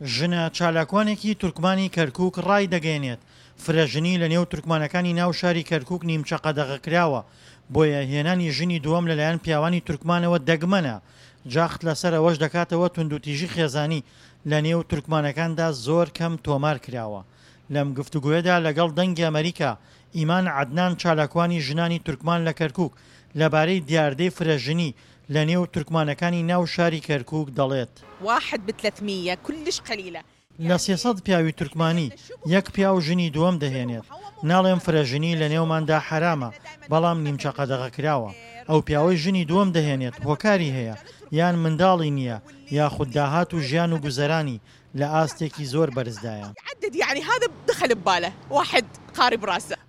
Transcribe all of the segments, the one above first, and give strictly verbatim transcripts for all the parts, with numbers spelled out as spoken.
ژنە چالاکوانێکی تورکمانی کەرکوک ڕایدەگەیەنێت، فرەژنی لەنێو تورکمانەکانی ناو شاری کەرکوک نیمچە قەدەغەکراوە، بۆیە هێنانی ژنی دووەم لەلایەن پیاوانی تورکمانەوە دەگمەنە، جەخت لەسەر ئەوەش دەکاتەوە توندوتیژی خێزانی لەنێو تورکمانەکاندا زۆر کەم تۆمارکراوە. لەم گفتوگۆیەدا لەگەڵ دەنگی ئەمەریکا، ئیمان عەدنان چالاکوانی ژنانی تورکمان لە کەرکوک لەبارەی دیاردەی فرەژنی لەنێو تورکمانەکانی ناو شاری کەرکوک دەڵێت. واحد ب ثلاثمية كلش قليلة. لە سێ سەد پیاوی تورکمانی یەک پیاو ژنی دووەم دەهێنێت، ناڵێم فرەژنی لەنێوماندا حەرامە، بەڵام نیمچە قەدەغەکراوە. ئەو پیاوەی ژنی دووەم دەهێنێت هۆکاری هەیە، یان منداڵی نییە، یاخود داهات و ژیان و گوزەرانی لە ئاستێکی زۆر بەرزدایە.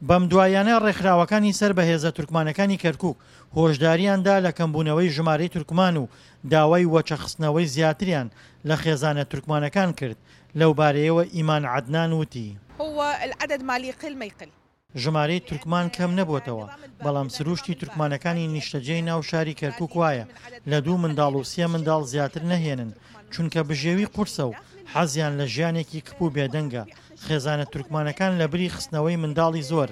بەمدواییانە ڕێکخراوەکانی سەر بە هێزە تورکمانەکانی کەرکوک هۆشدارییان دا لە کەمبوونەوەی ژمارەی تورکمان و داوای وەچەخستنەوەی زیاتریان لە خێزانە تورکمانەکان کرد، لەوبارەیەوە ئیمان عەدنان وتی. ژمارەی تورکمان کەم نەبووەتەوە، بەڵام سروشتی تورکمانەکانی نیشتەجێی ناو شاری کەرکوک وایە لە دوو منداڵ و سێ منداڵ زیاتر نەهێنن، چونکە بژێوی قورسە و حەزیان لە ژیانێکی کپ و بێدەنگە، خێزانە تورکمانەکان لەبری خستنەوەی منداڵی زۆر،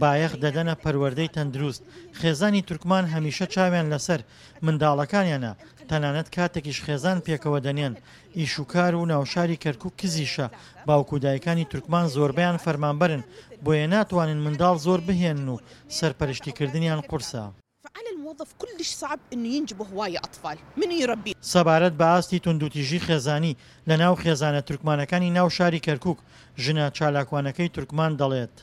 بایەخ دەدەنە پەروەردەی تەندروست، خێزانی تورکمان هەمیشە چاویان لەسەر منداڵەکانیانە، تەنانەت کاتێکیش خێزان پێکەوە دەنێن، ئیشوکار و ناوشاری کەرکوک کزیشە، باوک و دایکانی تورکمان زۆربەیان فەرمانبەرن، بۆیە ناتوانن منداڵ زۆر بهێنن و سەرپەرشتیکردنیان قورسە. سەبارەت بە ئاستی توندوتیژی خێزانی لەناو خێزانە تورکمانەکانی ناو شاری کەرکوک، ژنە چالاکوانەکەی تورکمان دەڵێت.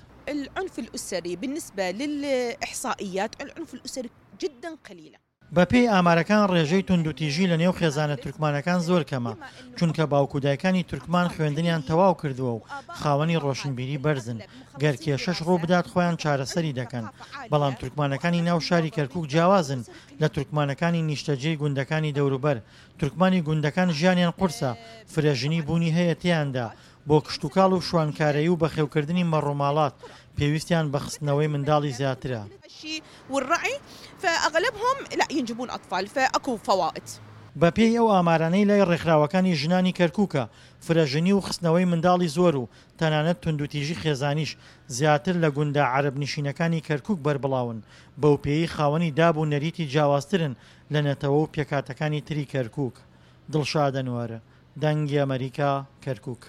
بەپێی ئامارەکان ڕێژەی توندوتیژی لەنێو خێزانە تورکمانەکان زۆر کەمە، چونکە باوک و دایکانی تورکمان خوێندنیان تەواو کردووە و خاوەنی ڕۆشنبیری بەرزن، گەر کێشەش ڕووبدات خۆیان چارەسەری دەکەن، بەڵام تورکمانەکانی ناو شاری کەرکوک جیاوازن لە تورکمانەکانی نیشتەجێی گوندەکانی دەوروبەر، تورکمانی گوندەکان ژیانیان قورسە، فرەژنی بوونی هەیە تێیاندا، بۆ کشتوکاڵ و شوانکارەیی و بەخێوکردنی مەڕوماڵات پێویستیان بە خستنەوەی منداڵی زیاترە. بەپێی ئەو ئامارانەی لای ڕێکخراوەکانی ژنانی کەرکوکە، فرەژنی و خستنەوەی منداڵی زۆر و تەنانەت توندوتیژی خێزانیش زیاتر لە گوندە عەرەبنشینەکانی کەرکوک بەربڵاون، بەوپێیەی خاوەنی داب و نەریتی جیاوازترن لە نەتەوە و پێکهاتەکانی تری کەرکوک. دڵشاد ئەنوەر، دەنگی ئەمەریکا، کەرکوک.